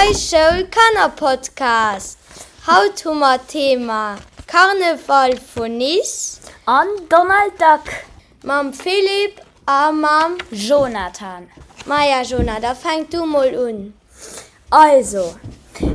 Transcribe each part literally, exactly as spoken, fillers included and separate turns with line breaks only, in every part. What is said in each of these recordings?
Eis Schoul Kannerpodcast. Haut hu mer d'Thema Karneval vun Nice.
An Donald Duck.
Mam Philippe a mam
Jonathan.
Maja Jona, da fänk du mol un.
Also,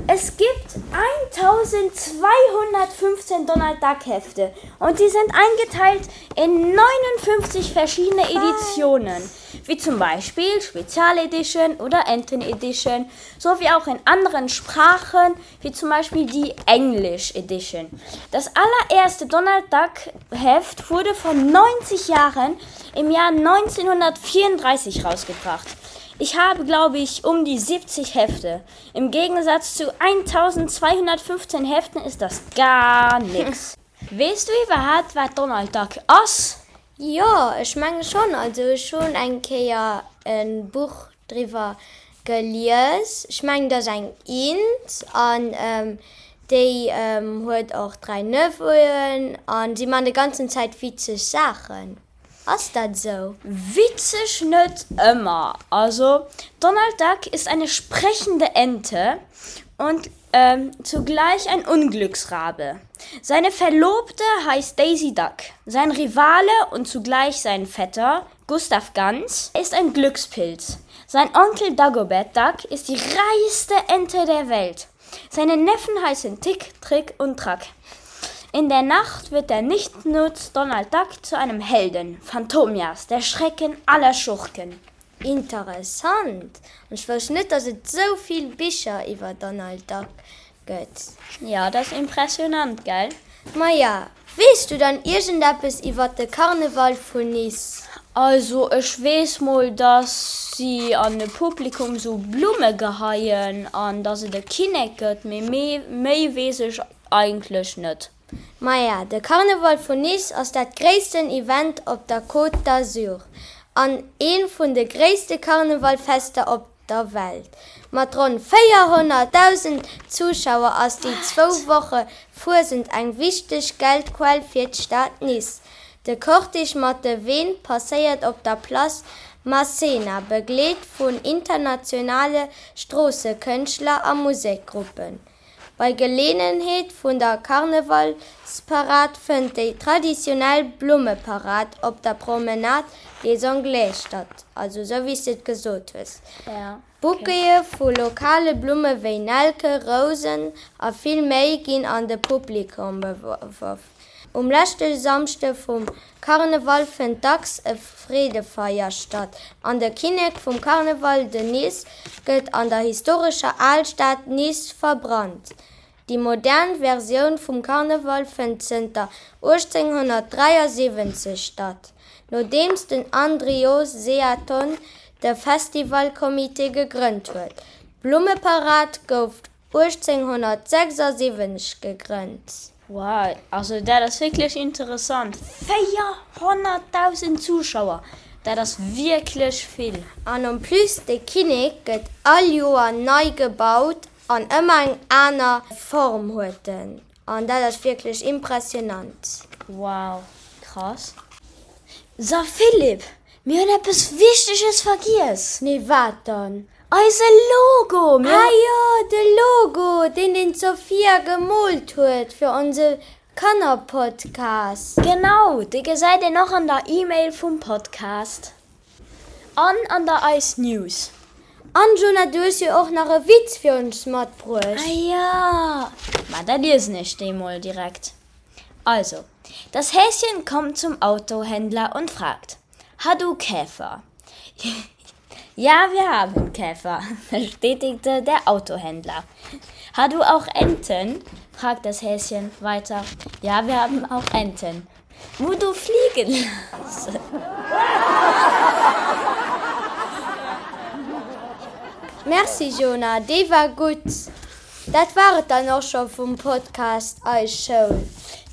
es gibt eintausendzweihundertfünfzehn Donald Duck Hefte und die sind eingeteilt in neunundfünfzig verschiedene Editionen, wie zum Beispiel Spezial Edition oder Enten Edition, sowie auch in anderen Sprachen, wie zum Beispiel die English Edition. Das allererste Donald Duck Heft wurde vor neunzig Jahren im Jahr neunzehnhundertvierunddreißig rausgebracht. Ich habe, glaube ich, um die siebzig Hefte. Im Gegensatz zu eintausendzweihundertfünfzehn Heften ist das gar nix. Weess du iwwerhaapt, wat Donald Duck ass?
Jo, ech menge schonn. Also ech hunn eng Kéier e Buch driwwer gelies. Ech mengen, dat ass eng Int an déi huet och dräi Neveu'en an si man déi ganzen Zäit witzeg Saachen. Ass dat esou?
Witzeg net ëmmer. Also Donald Duck ist eine sprechende Ente und zugleich ein Unglücksrabe. Seine Verlobte heißt Daisy Duck. Sein Rivale und zugleich sein Vetter Gustav Gans ist ein Glückspilz. Sein Onkel Dagobert Duck ist die reichste Ente der Welt. Seine Neffen heißen Tick, Trick und Track. In der Nacht wird der Nichtsnutz Donald Duck zu einem Helden, Phantomias, der Schrecken aller Schurken.
Interessant. An ech wousst net, dass et sou vill Bicher iwwer Donald Duck gëtt.
Ja, dat ass impressionant, gell?
Maja, weess du dann iergendeppes iwwer de Karneval vun Nice?
Also ech weess mol, dass si an de Publikum sou Blumme geheien an dass et e Kinnek gëtt, mee méi weess ech eigentlech net.
Maja, de Karneval vun Nice ass dat gréissten Event op der Côte d'Azur an ee vun de gréisste Karnevalfester op der Welt. Mat ronn véierhonnertdausend Zuschauer ass déi zwou Woche Fuesent eng wichteg Geldquell fir d'Stad Nice. De Cortège mat de Ween passéiert op der Place Masséna, begleet vun internationale Stroossekënschtler a Musekgruppen. Bei Geleeënheet vun der Karnevalsparad fënnt déi traditionell Blummeparad op der Promenade des Anglais statt, also sou wéi s de et gesot hues. Bouquete vu lokale Blumme wéi Nelke, Rousen a vill méi ginn an de Publikum geworf. Um leschte Samschde vum Karneval fënnt dacks e Freedefeier statt an de Kinnek vum Karneval, den Nice, gëtt an der historescher Alstad Nice verbrannt. Déi modern Versioun vum Karneval fënnt zënter uechtzénghonnertdräiasiwwenzeg statt, nodeems den Andrió Seaton de Festivalcomité gegrënnt huet. D'Blummeparad gouf uechtzénghonnertsechsasiwwenzeg gegrënnt.
Wow, also dat ass wierklech interessant. véierhonnertdausend Zuschauer, dat ass wierklech vill.
An en plus, de Kinnek gëtt all Joer nei gebaut an ëmmer eng aner Form huet en. An dat ass wierklech impressionant.
Wow, krass. So Philippe, mir hunn eppes Wichteges vergiess.
Nee, wat dann?
Eise Logo! Mir
Ah jo, de Logo, deen den d'Sophia gemoolt huet fir onse Kannerpodcast.
Genau, dee gesäit een och an der E-Mail vum Podcast an an der Eis News.
An Jonah, du hues jo och nach e Witz fir ons matbruecht.
Ah ja, ma da liesen ech dee mol direkt. Also, das Häschen kommt zum Autohändler und fragt, Ha du Käfer? Ja, wir haben Käfer, bestätigte der Autohändler. Ha du auch Enten? Fragt das Häschen weiter. Ja, wir haben auch Enten. Wo du fliegen lassen.
Merci Jonah, dee war gutt. Dat war et dann och scho vum Podcast Eis Schoul.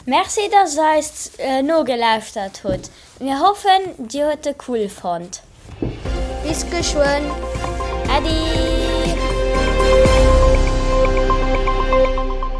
Merci dass der eis nogelauschtert hutt. Mir hoffen dir huet e cool fonnt.
Bis geschwënn.
Äddi!